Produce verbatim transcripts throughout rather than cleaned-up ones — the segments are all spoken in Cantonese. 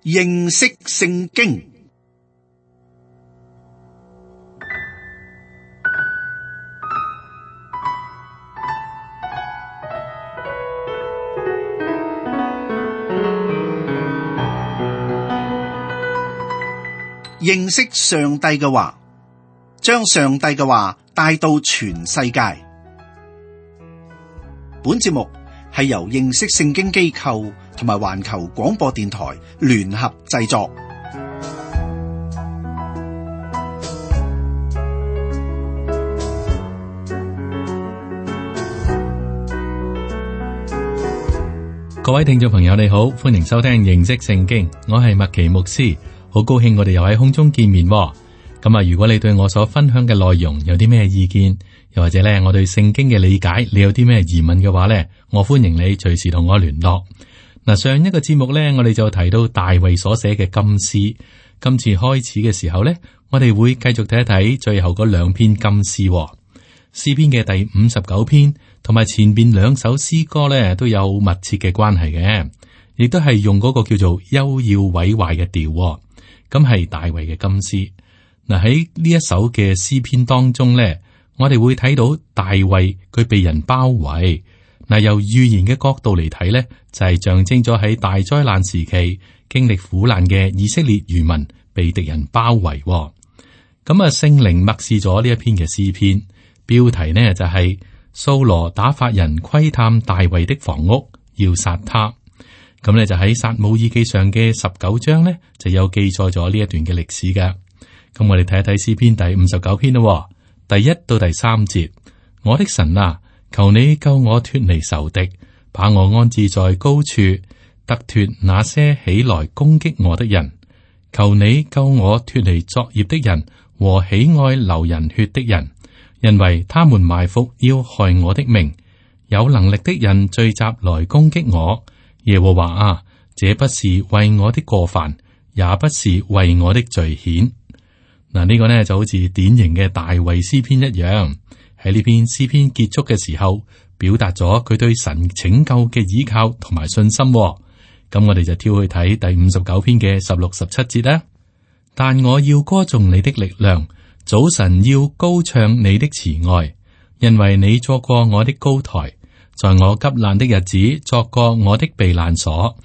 認識聖經。認識上帝嘅話，將上帝嘅話帶到全世界。本節目係由認識聖經機構同埋環球廣播電台聯合製作。各位聽眾朋友，你好，歡迎收聽認識聖經，我係麥奇牧師。好高興我哋又喺空中見面喎。咁啊，如果你對我所分享嘅內容有啲咩意見，又或者咧我對聖經嘅理解，你有啲咩疑問嘅話咧，我歡迎你隨時同我聯絡。嗱，上一個節目咧，我哋就提到大衛所寫嘅金詩。今次開始嘅時候咧，我哋會繼續睇一睇最後嗰兩篇金詩喎。詩篇嘅第五十九篇同埋前邊兩首詩歌咧，都有密切嘅關係嘅，亦都係用嗰個叫做幽要毀壞嘅調喎。咁係大衛嘅金詩。嗱，喺呢一首嘅詩篇當中咧，我哋會睇到大衛佢被人包圍。嗱，由預言嘅角度嚟睇咧，就係象徵咗喺大災難時期經歷苦難嘅以色列餘民被敵人包圍。咁啊，聖靈默示咗呢一篇嘅詩篇，標題呢就係掃羅打發人窺探大衛的房屋，要殺他。咁咧就喺撒母耳記上嘅十九章咧，就有記載咗呢一段嘅歷史嘅。咁我哋睇一睇詩篇第五十九篇咯，第一到第三節。我的神啊，求你救我脫離仇敵，把我安置在高處，得脫那些起來攻擊我的人。求你救我脫離作孽的人和喜愛流人血的人，因為他們埋伏要害我的命。有能力的人聚集來攻擊我。耶和華啊，這不是為我的過犯，也不是為我的罪愆。嗱，呢個呢就好似典型嘅大衛詩篇一樣，喺呢篇詩篇結束嘅時候，表達咗佢對神拯救嘅依靠同埋信心。咁我哋就跳去睇第五十九篇嘅十六十七節啦。但我要歌頌你的力量，早晨要高唱你的慈愛，因為你作過我的高台。在我急難的日子，作過我的避難所。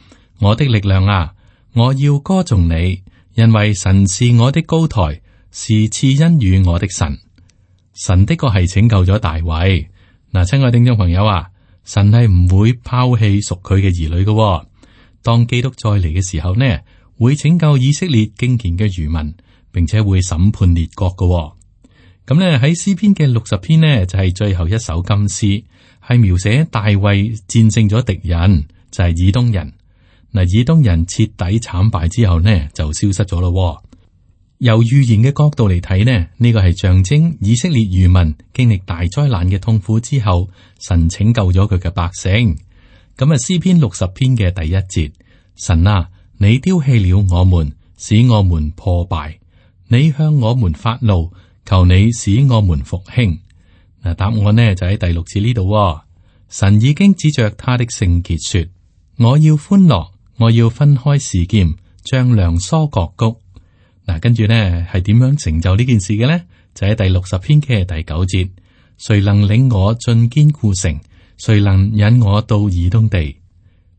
我的力量啊，我要歌頌你，因為神是我的高台，是賜恩與我的神。神的確係拯救咗大衛。嗱，親愛聽眾朋友啊，神係唔會拋棄屬佢嘅兒女嘅、哦。當基督再嚟嘅時候呢，會拯救以色列敬虔嘅餘民，並且會審判列國嘅、哦。咁呢喺詩篇嘅六十篇呢，就係、是、最後一首金詩。係描寫大衛戰勝咗敵人，就係、是、以東人。嗱，以東人徹底慘敗之後呢，就消失咗咯。由預言嘅角度嚟睇呢，呢、這個係象徵以色列餘民經歷大災難嘅痛苦之後，神拯救咗佢嘅百姓。咁啊，詩篇六十篇嘅第一節，神啊，你丟棄了我們，使我們破敗；你向我們發怒，求你使我們復興。嗱，答案呢就喺第六節呢度。神已經指着他的聖潔說：我要歡樂，我要分開示劍，將梁疏割谷。嗱，跟住呢係點樣成就呢件事嘅呢？就喺第六十篇嘅第九節：誰能領我進堅固城？誰能引我到以東地？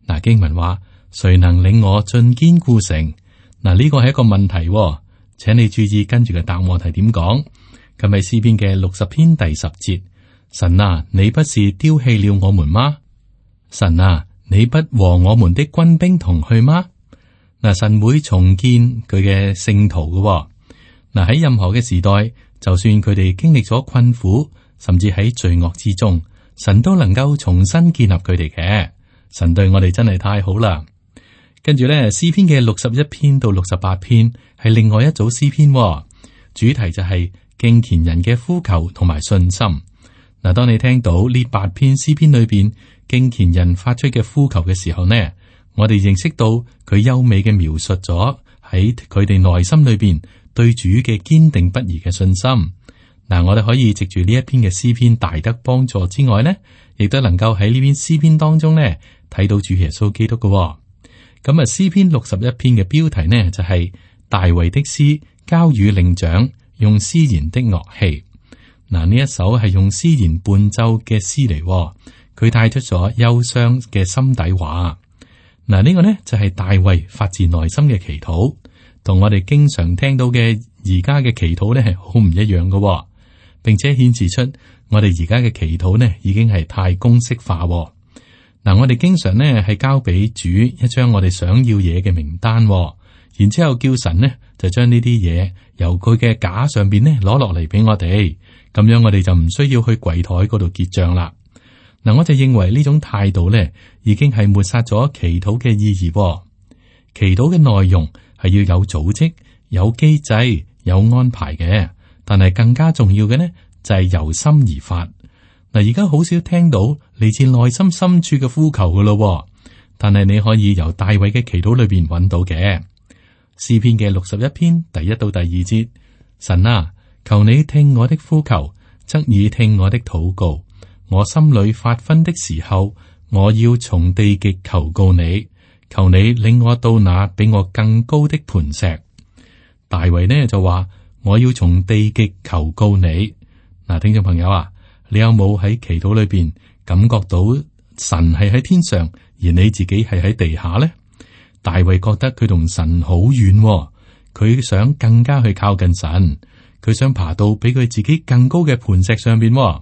嗱，經文話：誰能領我進堅固城？嗱，呢個係一個問題，請你注意跟住嘅答案係點講。咁係詩篇嘅六十篇第十節，神啊，你不是丟棄了我們嗎？神啊，你不和我們的軍兵同去嗎？嗱，神會重建佢嘅聖徒嘅。嗱，喺任何嘅時代，就算佢哋經歷咗困苦，甚至喺罪惡之中，神都能夠重新建立佢哋嘅。神對我哋真係太好啦。跟住咧，詩篇嘅六十一篇到六十八篇係另外一組詩篇，主題就係、是。敬虔人嘅呼求同埋信心。嗱，當你聽到呢八篇詩篇裏邊敬虔人發出嘅呼求嘅時候呢，我哋認識到佢優美嘅描述咗喺佢哋內心裏邊對主嘅堅定不移嘅信心。嗱，我哋可以藉住呢一篇嘅詩篇大得幫助之外呢，亦都能夠喺呢篇詩篇當中呢睇到主耶穌基督嘅。咁啊，詩篇六十一篇嘅標題呢就係、是、大衛的詩交與伶長，用絲弦的樂器。嗱，呢一首係用絲弦伴奏嘅詩嚟，佢帶出咗憂傷嘅心底話。嗱，呢個呢就係大衛發自內心嘅祈禱，同我哋經常聽到嘅而家嘅祈禱呢係好唔一樣嘅，並且顯示出我哋而家嘅祈禱呢已經係太公式化。嗱，我哋經常呢係交俾主一張我哋想要嘢嘅名單，然之後叫神呢就將呢啲嘢由佢嘅架上邊呢攞落嚟俾我哋，咁樣我哋就唔需要去櫃台嗰度結賬啦。嗱，我就認為呢種態度呢已經係抹殺咗祈禱嘅意義。祈禱嘅內容係要有組織、有機制、有安排嘅，但係更加重要嘅呢就係由心而發。嗱，而家好少聽到嚟自內心深處嘅呼求噶咯，但係你可以由大衛嘅祈禱裏邊揾到嘅。詩篇嘅六十一篇第一到第二節，神啊，求你聽我的呼求，側耳聽我的禱告。我心裏發昏的時候，我要從地極求告你，求你領我到那比我更高的磐石。大衛呢就話，我要從地極求告你。嗱，聽眾朋友啊，你有冇喺祈禱裏邊感覺到神係喺天上，而你自己係喺地下呢？大衛覺得佢同神好遠喎，佢想更加去靠近神，佢想爬到比佢自己更高嘅磐石上邊喎。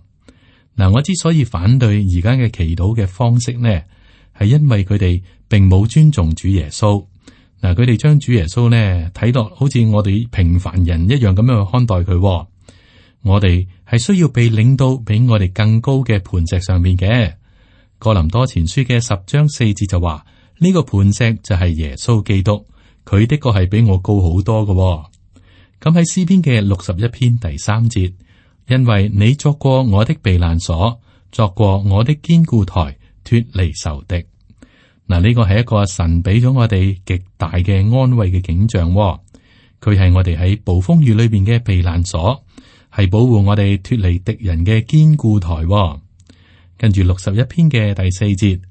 嗱，我之所以反對而家嘅祈禱嘅方式呢，係因為佢哋並冇尊重主耶穌。嗱，佢哋將主耶穌呢睇落好似我哋平凡人一樣咁樣去看待佢喎。我哋係需要被領到比我哋更高嘅磐石上面嘅。哥林多前書嘅十章四節就話，呢個磐石就係耶穌基督，佢的確係比我高好多嘅喎。咁喺詩篇嘅六十一篇第三節，因為你作過我的避難所，作過我的堅固台，脫離仇敵。嗱，呢個係一個神俾咗我哋極大嘅安慰嘅景象喎。佢係我哋喺暴風雨裏邊嘅避難所，係保護我哋脫離敵人嘅堅固台喎。跟住六十一篇嘅第四節，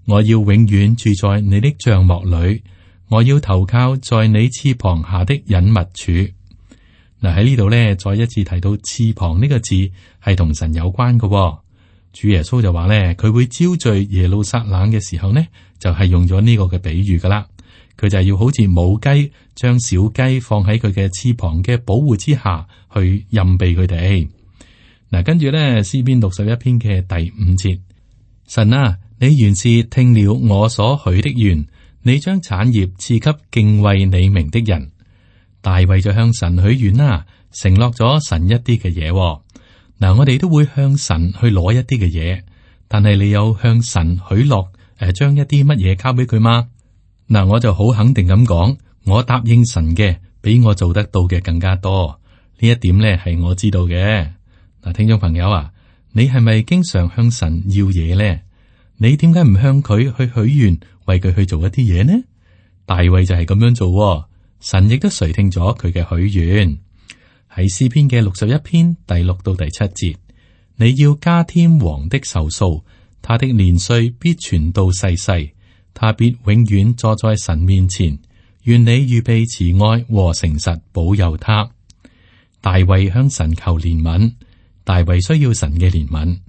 我要永遠住在你的帳幕裏，我要投靠在你翅膀下的隱密處。嗱，喺呢度咧，再一次提到翅膀呢個字係同神有關嘅喎。主耶穌就話咧，佢會招聚耶路撒冷嘅時候呢，就係用咗呢個嘅比喻噶啦。佢就係要好似母雞將小雞放喺佢嘅翅膀嘅保護之下去蔭庇佢哋。嗱，跟住咧，詩篇六十一篇嘅第五節，神啊，你原是聽了我所許的願，你將產業賜給敬畏你名的人。大衛就向神許願啦，承諾咗神一啲嘅嘢。嗱，我哋都會向神去攞一啲嘅嘢，但係你有向神許諾誒，將一啲乜嘢交俾佢嗎？嗱，我就好肯定咁講，我答應神嘅比我做得到嘅更加多。呢一點咧係我知道嘅。嗱，聽眾朋友啊，你係咪經常向神要嘢咧？你點解唔向佢去許願，為佢去做一啲嘢呢？大衛就係咁樣做，神亦都垂聽咗佢嘅許願。喺詩篇嘅六十一篇第六到第七節，你要加添王的壽數，他的年歲必傳到世世，他必永遠坐在神面前。願你預備慈愛和誠實保佑他。大衛向神求憐憫，大衛需要神嘅憐憫。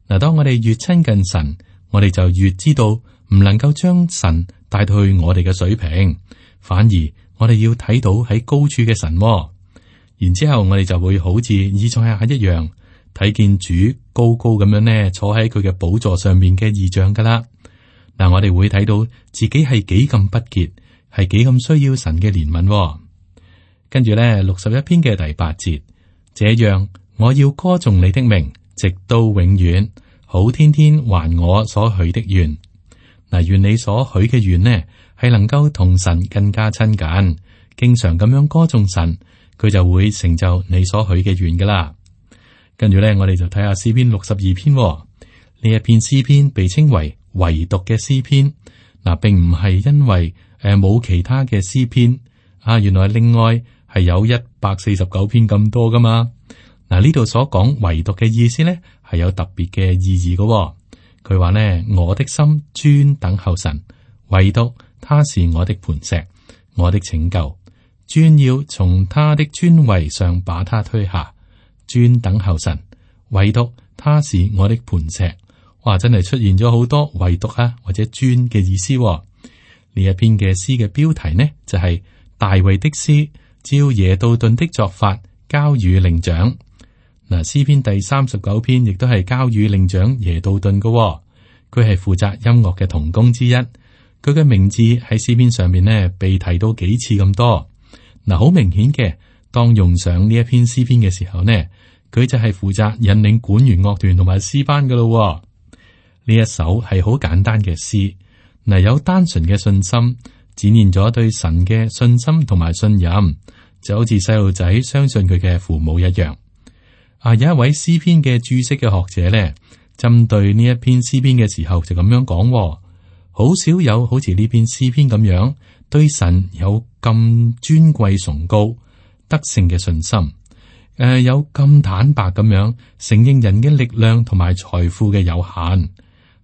嗱，當我哋越親近神，我哋就越知道唔能夠將神帶到去我哋嘅水平，反而我哋要睇到喺高處嘅神。然之後我哋就會好似以賽亞一樣，睇見主高高咁樣呢坐喺佢嘅寶座上面嘅異象噶啦。嗱，我哋會睇到自己係幾咁不潔，係幾咁需要神嘅憐憫。跟住咧，六十一篇嘅第八節，這樣我要歌頌你的名，直到永遠，好天天還我所許的願。嗱，願你所許嘅願呢，係能夠同神更加親近，經常咁樣歌頌神。佢就會成就你所許嘅願噶啦。跟住咧，我哋就睇下詩篇六十二篇呢一篇詩篇，被稱為唯獨嘅詩篇。嗱，並唔係因為誒冇其他嘅詩篇啊，原來另外係有一百四十九篇咁多噶嘛。嗱，呢度所講唯獨嘅意思咧，係有特別嘅意義噶。佢話咧，我的心專等候神，唯獨他是我的磐石，我的拯救。專要從他的尊位上把他推下，專等候神，唯獨他是我的磐石。哇，真係出現咗好多唯獨啊或者專嘅意思，哦。呢一篇嘅詩嘅標題呢，就係、是、大衛的詩，照耶杜頓的作法交與伶長。嗱，詩篇第三十九篇亦都係交與伶長耶杜頓嘅，哦，佢係負責音樂嘅同工之一。佢嘅名字喺詩篇上面呢，被提到幾次咁多。嗱，好明顯嘅，當用上呢一篇詩篇嘅時候呢，佢就係負責引領管弦樂團同埋詩班噶咯。呢一首係好簡單嘅詩，嗱，有單純嘅信心，展現咗對神嘅信心同埋信任，就好似細路仔相信佢嘅父母一樣。啊，有一位詩篇嘅注釋嘅學者咧，針對呢一篇詩篇嘅時候就咁樣講，好少有好似呢篇詩篇咁樣對神有咁尊貴崇高得勝嘅信心，誒、呃，有咁坦白咁樣承認人嘅力量同埋財富嘅有限。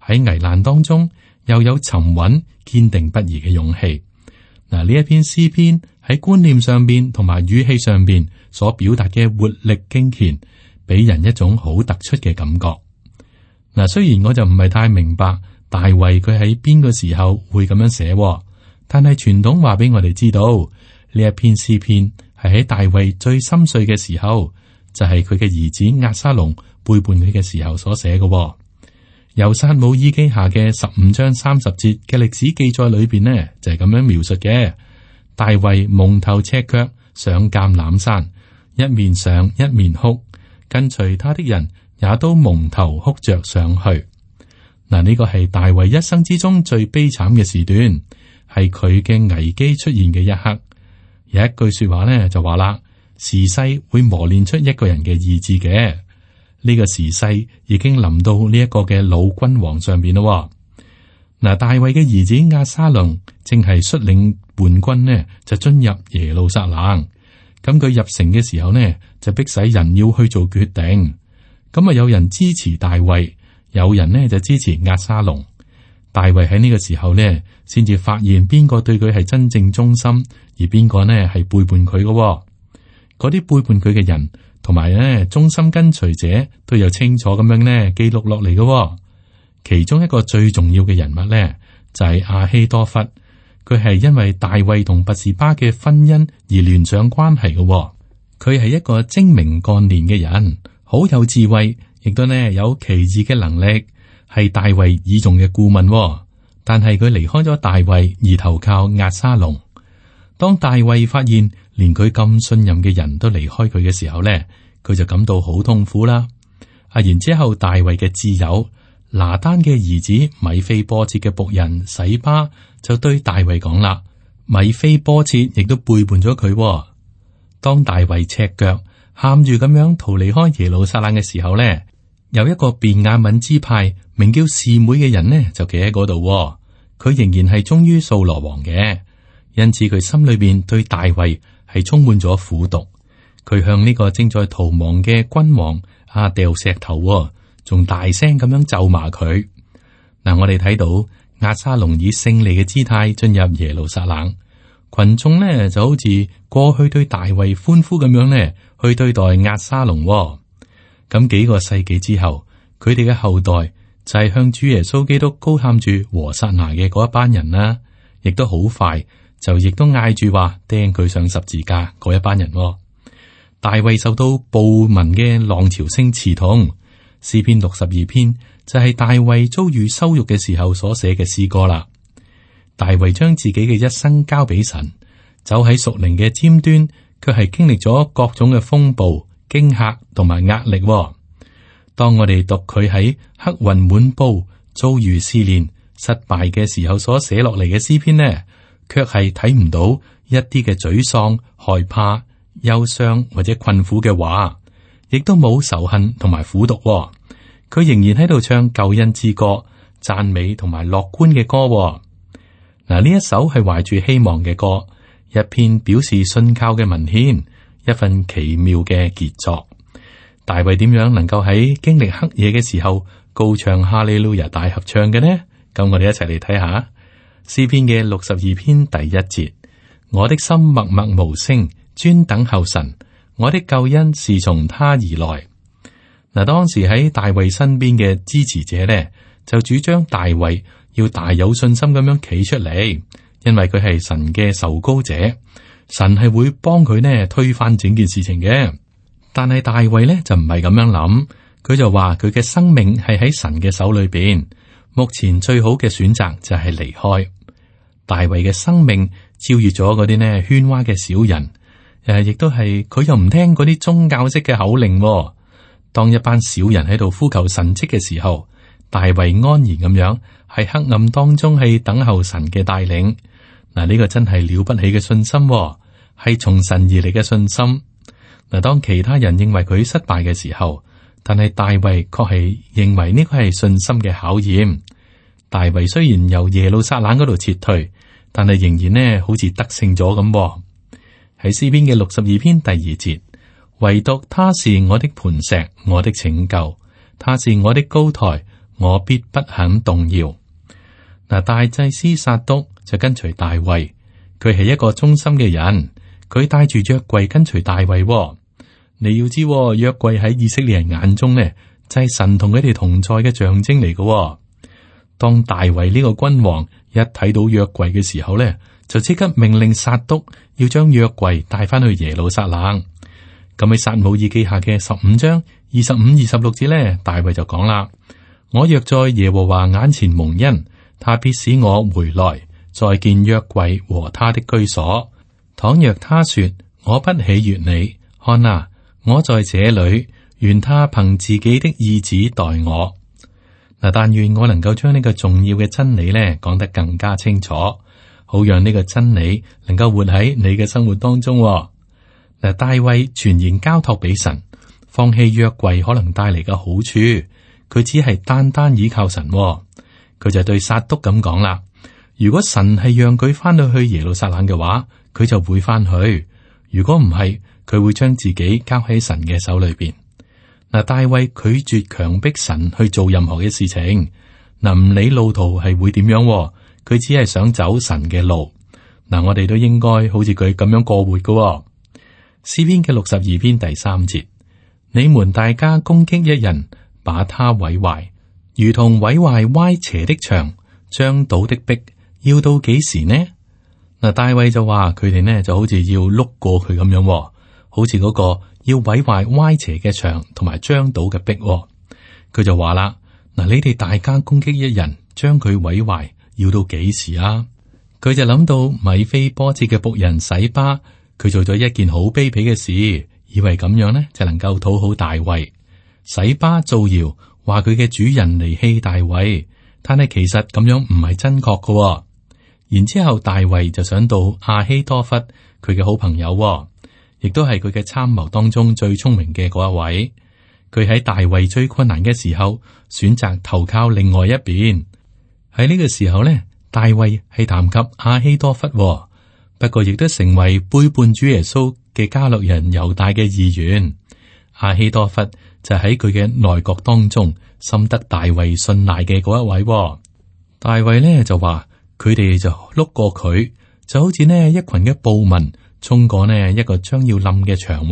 喺危難當中，又有沉穩、堅定不移嘅勇氣。嗱，呢一篇詩篇喺觀念上邊同埋語氣上邊所表達嘅活力敬虔，俾人一種好突出嘅感覺。嗱，雖然我就唔係太明白大衛佢喺邊個時候會咁樣寫，但係傳統話俾我哋知道，呢一篇詩篇係喺大衛最心碎嘅時候，就係佢嘅兒子押沙龍背叛佢嘅時候所寫嘅。由撒母耳記下嘅十五章三十節嘅歷史記載裏邊呢，就係咁樣描述嘅。大衛蒙頭赤腳上橄欖山，一面上一面哭，跟隨他的人也都蒙頭哭着上去。嗱，呢個係大衛一生之中最悲慘嘅時段，係佢嘅危機出現嘅一刻。有一句說話呢，就話啦，時勢會磨練出一個人嘅意志嘅。呢個時勢已經臨到呢一個嘅老君王上邊咯。嗱，大衛嘅兒子押沙龍正係率領叛軍呢，就進入耶路撒冷。咁佢入城嘅時候呢，就迫使人要去做決定。咁啊，有人支持大衛，有人呢就支持押沙龍。大衛喺呢個時候呢，先至發現邊個對佢係真正忠心，而邊個呢係背叛佢嘅。嗰啲背叛佢嘅人，同埋咧，忠心跟隨者都有清楚咁樣咧記錄落嚟嘅。其中一個最重要嘅人物咧，就係亞希多弗，佢係因為大衛同拔示巴嘅婚姻而聯上關係嘅。佢係一個精明幹練嘅人，好有智慧，亦都呢有奇異嘅能力，係大衛倚重嘅顧問。但係佢離開咗大衛而投靠押沙龍。當大衛發現連佢咁信任嘅人都離開佢嘅時候咧，佢就感到好痛苦啦。啊，然之後大衛嘅摯友拿單嘅兒子米非波設嘅僕人洗巴就對大衛講啦，米非波設亦都背叛咗佢。當大衛赤腳喊住咁樣逃離開耶路撒冷嘅時候咧，有一個便雅憫支派名叫示每嘅人呢，就企喺嗰度。佢仍然係忠於掃羅王嘅。因此佢心裏邊對大衛係充滿咗苦毒，佢向呢個正在逃亡嘅君王啊掉石頭，仲大聲咁樣咒罵佢。嗱、啊，我哋睇到押沙龍以勝利嘅姿態進入耶路撒冷，群眾呢就好似過去對大衛歡呼咁樣呢去對待押沙龍。咁幾個世紀之後，佢哋嘅後代就係向主耶穌基督高喊住和散那嘅嗰一班人啦，亦都好快。就亦都嗌住話釘佢上十字架嗰一班人。大衛受到暴民嘅浪潮聲刺痛。詩篇六十二篇就係大衛遭遇羞辱嘅時候所寫嘅詩歌啦。大衛將自己嘅一生交俾神，走喺屬靈嘅尖端，卻係經歷咗各種嘅風暴、驚嚇同埋壓力。當我哋讀佢喺黑雲滿布、遭遇試煉、失敗嘅時候所寫落嚟嘅詩篇呢，卻係睇唔到一啲嘅沮喪、害怕、憂傷或者困苦嘅話，亦都冇仇恨同埋苦毒。佢仍然喺度唱救恩之歌、讚美同埋樂觀嘅歌。嗱，呢一首係懷住希望嘅歌，一篇表示信靠嘅文獻，一份奇妙嘅傑作。大衛點樣能夠喺經歷黑夜嘅時候高唱哈利路亞大合唱嘅呢？咁我哋一齊嚟睇下。詩篇嘅六十二篇第一節，我的心默默無聲，專等候神，我的救恩是從他而來。嗱，當時喺大衛身邊嘅支持者呢，就主張大衛要大有信心咁樣企出嚟，因為佢係神嘅受膏者，神係會幫佢呢推翻整件事情嘅。但係大衛呢就唔係咁樣諗，佢就話佢嘅生命係喺神嘅手裏邊，目前最好嘅選擇就係離開。大衛嘅生命超越咗嗰啲呢喧嘩嘅小人，誒，亦都係佢又唔聽嗰啲宗教式嘅口令。當一班小人喺度呼求神蹟嘅時候，大衛安然咁樣喺黑暗當中係等候神嘅帶領。嗱，呢個真係了不起嘅信心，係從神而嚟嘅信心。嗱，當其他人認為佢失敗嘅時候，但係大衛確係認為呢個係信心嘅考驗。大衛雖然由耶路撒冷嗰度撤退，但係仍然呢好似得勝咗咁。喺詩篇嘅六十二篇第二節，唯獨他是我的磐石，我的拯救，他是我的高台，我必不肯動搖。嗱，大祭司撒督就跟隨大衛，佢係一個忠心嘅人，佢帶住約櫃跟隨大衛。你要知，約櫃喺以色列人眼中呢，就係神同佢哋同在嘅象徵嚟嘅。當大衛呢個君王一睇到約櫃嘅時候呢，就即刻命令撒督要將約櫃帶翻去耶路撒冷。咁喺撒母耳記下嘅十五章二十五、二十六節呢，大衛就講啦：我若在耶和華眼前蒙恩，他必使我回來，再見約櫃和他的居所。倘若他說我不喜悅你，看啊，我在這裏，願他憑自己的意旨待我。嗱，但願我能夠將呢個重要嘅真理呢講得更加清楚，好讓呢個真理能夠活喺你嘅生活當中。嗱，大衛全然交託俾神，放棄約櫃可能帶嚟嘅好處，佢只係單單依靠神。佢就對撒督咁講啦：如果神係讓佢翻到去耶路撒冷嘅話，佢就會翻去；如果唔係，佢會將自己交喺神嘅手裏邊。嗱，大衛拒絕強迫神去做任何嘅事情，嗱，唔理路途係會點樣，佢只係想走神嘅路。嗱，我哋都應該好似佢咁樣過活噶。詩篇嘅六十二篇第三節，你們大家攻擊一人，把他毀壞，如同毀壞歪斜的牆，將倒的壁，要到幾時呢？嗱，大衛就話佢哋呢就好似要碌過佢咁樣，好似嗰個要毀壞歪斜嘅牆同埋將倒嘅壁。佢就話啦：嗱，你哋大家攻擊一人，將佢毀壞，要到幾時啊？佢就諗到米非波設嘅僕人洗巴。佢做咗一件好卑鄙嘅事，以為咁樣呢就能夠討好大衛。洗巴造謠話佢嘅主人離棄大衛，但係其實咁樣唔係真確嘅。然之後大衛就想到亞希多弗，佢嘅好朋友，亦都係佢嘅參謀當中最聰明嘅嗰一位。佢喺大衛最困難嘅時候，選擇投靠另外一邊。喺呢個時候呢，大衛係談及亞希多弗。不過亦都成為背叛主耶穌嘅加略人猶大嘅議員。亞希多弗就喺佢嘅內閣當中，深得大衛信賴嘅嗰一位。大衛呢就話佢哋就碌過佢，就好似呢一群嘅暴民衝過呢一個將要冧嘅牆。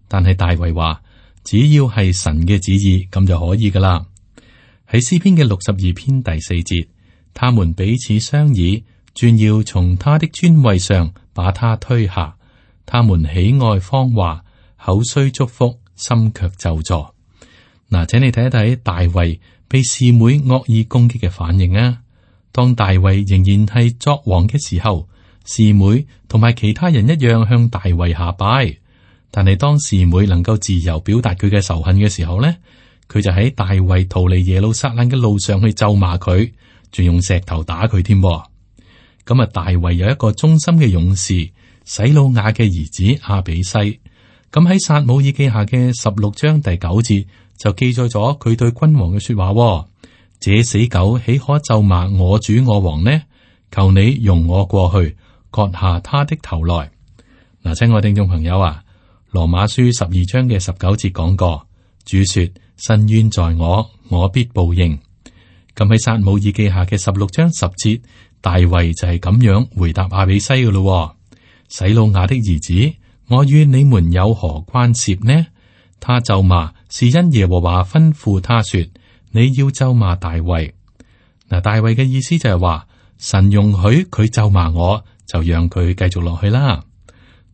但係大衛話，只要係神嘅旨意，咁就可以噶啦。喺詩篇嘅六十二篇第四節，他們彼此商議，專要從他的尊位上把他推下。他們喜愛謊話，口雖祝福，心卻咒詛。嗱，請你睇一睇大衛被示每惡意攻擊嘅反應啊！當大衛仍然係作王嘅時候，示每同埋其他人一樣向大衛下拜。但係當示每能夠自由表達佢嘅仇恨嘅時候呢，佢就喺大衛逃離耶路撒冷嘅路上去咒罵佢，仲用石頭打佢添。咁啊，大衛有一個忠心嘅勇士，洗魯雅嘅兒子亞比篩。咁喺撒母耳記下嘅十六章第九節就記載咗佢對君王嘅說話：這死狗豈可咒罵我主我王呢？求你容我過去，割下他的頭來。嗱，親愛聽眾朋友啊，羅馬書十二章嘅十九節講過，主說：伸冤在我，我必報應。咁喺撒母耳記下嘅十六章十節。大衛就係咁樣回答亞比篩嘅咯。洗魯雅的兒子，我與你們有何關涉呢？他咒罵是因耶和華吩咐他說，你要咒罵大衛。嗱，大衛嘅意思就係話，神容許佢咒罵我，就讓佢繼續落去啦。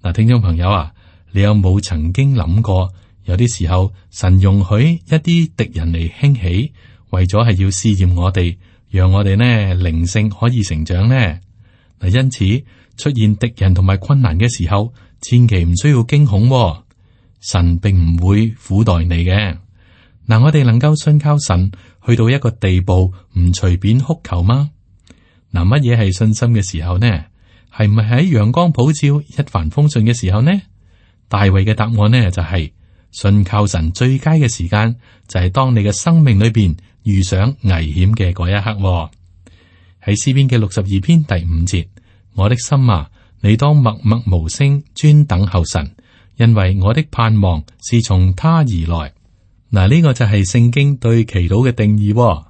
嗱，聽眾朋友啊，你有冇曾經諗過，有啲時候神容許一啲敵人嚟興起，為咗係要試驗我哋，讓我哋呢靈性可以成長呢？嗱，因此出現敵人同埋困難嘅時候，千祈唔需要驚恐喎。神並唔會苦待你嘅。嗱，我哋能夠信靠神去到一個地步，唔隨便哭求嗎？嗱，乜嘢係信心嘅時候呢？係唔係喺陽光普照、一帆風順嘅時候呢？大衛嘅答案呢就係、是、信靠神最佳嘅時間就係當你嘅生命裏邊遇上危險嘅嗰一刻喎。喺詩篇嘅六十二篇第五節，我的心啊，你當默默無聲，專等候神，因為我的盼望是從他而來。嗱，呢個就係聖經對祈禱嘅定義喎。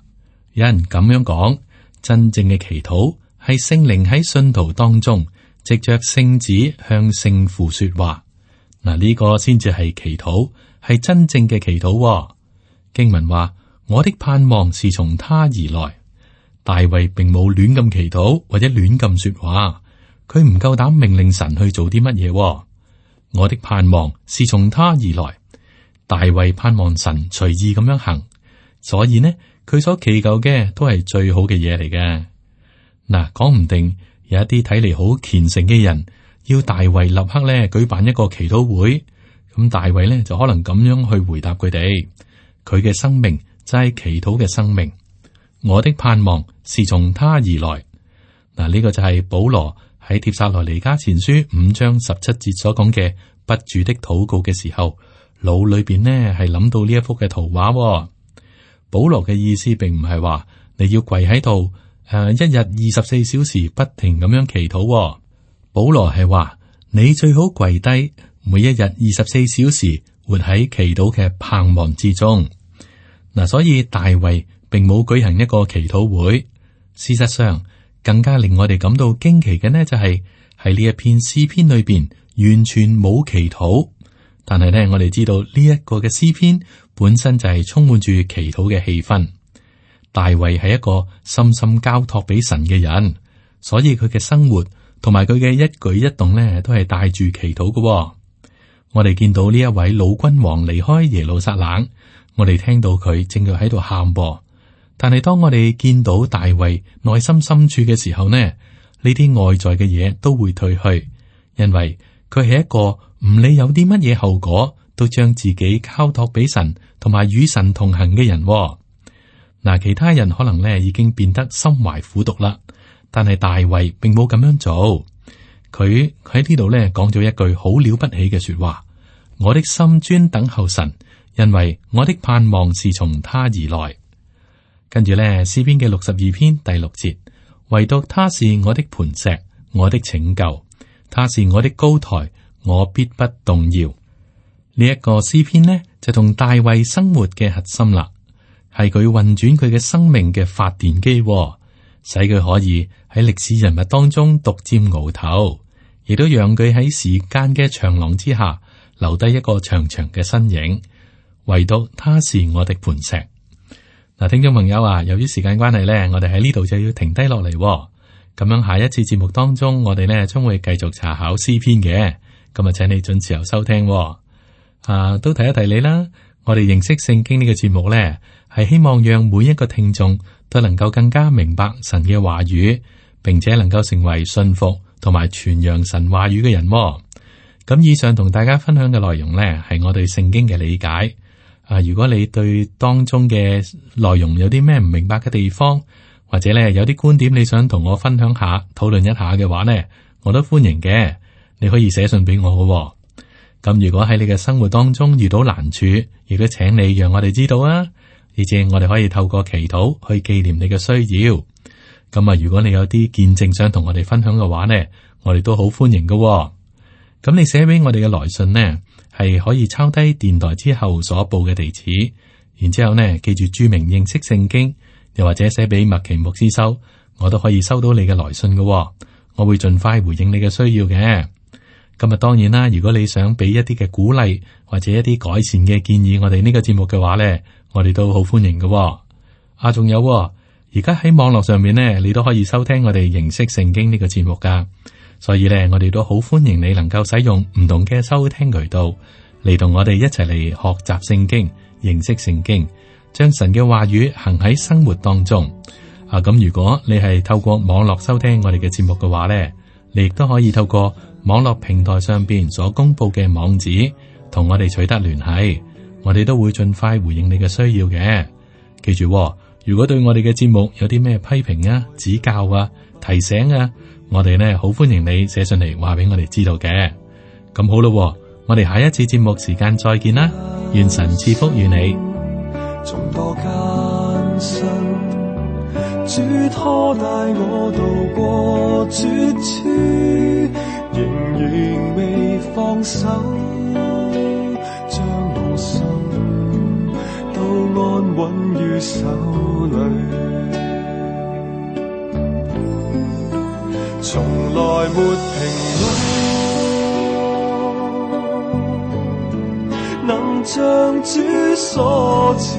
有人咁樣講，真正嘅祈禱係聖靈喺信徒當中，藉着聖子向聖父說話。嗱，呢個先至係祈禱，係真正嘅祈禱喎。經文話，我的盼望是從他而來。大衛並冇亂咁祈禱或者亂咁說話，佢唔夠膽命令神去做啲乜嘢喎。我的盼望是從他而來。大衛盼望神隨意咁樣行，所以呢，佢所祈求嘅都係最好嘅嘢嚟嘅。嗱，講唔定有一啲睇嚟好虔誠嘅人，要大衛立刻咧舉辦一個祈禱會，咁大衛咧就可能咁樣去回答佢哋。佢嘅生命就係祈禱嘅生命。我的盼望是從他而來。嗱，呢個就係保羅喺帖撒羅尼迦前書五章十七節所講嘅不住的禱告嘅時候，腦裏邊呢係諗到呢一幅嘅圖畫喎。保羅嘅意思並唔係話你要跪喺度，誒、呃，一日二十四小時不停咁樣祈禱喎。保羅係話你最好跪低，每一日二十四小時活喺祈禱嘅盼望之中。嗱，所以大衛並冇舉行一個祈禱會。事實上，更加令我哋感到驚奇嘅呢，就係喺呢一篇詩篇裏邊完全冇祈禱。但係呢，我哋知道呢一個嘅詩篇本身就係充滿住祈禱嘅氣氛。大衛係一個深深交託俾神嘅人，所以佢嘅生活同埋佢嘅一舉一動呢，都係帶住祈禱嘅。我哋見到呢一位老君王離開耶路撒冷，我哋聽到佢正在喺度喊噃。但係當我哋見到大衛內心深處嘅時候呢，呢啲外在嘅嘢都會退去，因為佢係一個唔理有啲乜嘢後果，都將自己交託俾神，同埋與神同行嘅人。嗱，其他人可能咧已經變得心懷苦毒啦，但係大衛並冇咁樣做。佢喺呢度咧講咗一句好了不起嘅說話：我的心專等候神，因為我的盼望是從他而來。跟住咧，詩篇嘅六十二篇第六節，唯獨他是我的磐石，我的拯救，他是我的高台，我必不動搖。呢、這、一個詩篇呢，就同大衛生活嘅核心啦，係佢運轉佢嘅生命嘅發電機，使佢可以喺歷史人物當中獨佔鰲頭，亦都讓佢喺時間嘅長廊之下留低一個長長嘅身影。唯獨他是我的磐石。嗱，聽眾朋友啊，由於時間關係咧，我哋喺呢度就要停低落嚟。咁樣下一次節目當中，我哋咧將會繼續查考詩篇嘅。咁啊，請你準時候收聽。啊，都提一提你啦。我哋認識聖經呢個節目咧，係希望讓每一個聽眾都能夠更加明白神嘅話語，並且能夠成為信服同埋傳揚神話語嘅人。咁以上同大家分享嘅內容咧，係我對聖經嘅理解。啊！如果你對當中嘅內容有啲咩唔明白嘅地方，或者咧有啲觀點你想同我分享下、討論一下嘅話呢，我都歡迎嘅。你可以寫信俾我嘅。咁如果喺你嘅生活當中遇到難處，亦都請你讓我哋知道啊，而且我哋可以透過祈禱去紀念你嘅需要。咁啊，如果你有啲見證想同我哋分享嘅話呢，我哋都好歡迎嘅。咁你寫俾我哋嘅來信呢，係可以抄低電台之後所報嘅地址，然之後呢記住注明認識聖經，又或者寫俾麥奇牧師收，我都可以收到你嘅來信嘅喎，我會盡快回應你嘅需要嘅。咁啊，當然啦，如果你想俾一啲嘅鼓勵或者一啲改善嘅建議，我哋呢個節目嘅話咧，我哋都好歡迎嘅喎。啊，仲有喎，而家喺網絡上面咧，你都可以收聽我哋認識聖經呢個節目噶。所以咧，我哋都好歡迎你能夠使用唔同嘅收聽渠道嚟同我哋一齊嚟學習聖經、認識聖經，將神嘅話語行喺生活當中。啊，咁如果你係透過網絡收聽我哋嘅節目嘅話咧，你亦都可以透過網絡平台上邊所公布嘅網址，同我哋取得聯繫，我哋都會盡快回應你嘅需要嘅。記住喎，如果對我哋嘅節目有啲咩批評啊、指教啊、提醒啊，我哋呢好歡迎你寫信嚟話俾我哋知道嘅。咁好咯喎，我哋下一次節目時間再見啦，願神賜福與你。從多艱辛，主拖帶我渡過絕處，仍然未放手，將我心都安穩於手裏。從來沒停留，能像主所賜，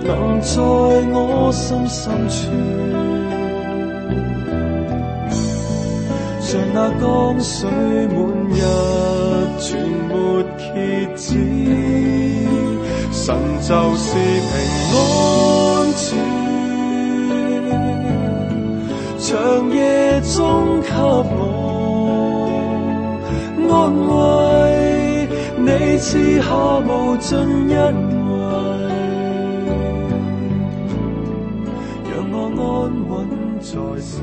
能在我心深處，像那江水滿溢全沒歇止，神就是平安處，長夜中給我安慰，你賜下無盡恩惠，讓我安穩在手。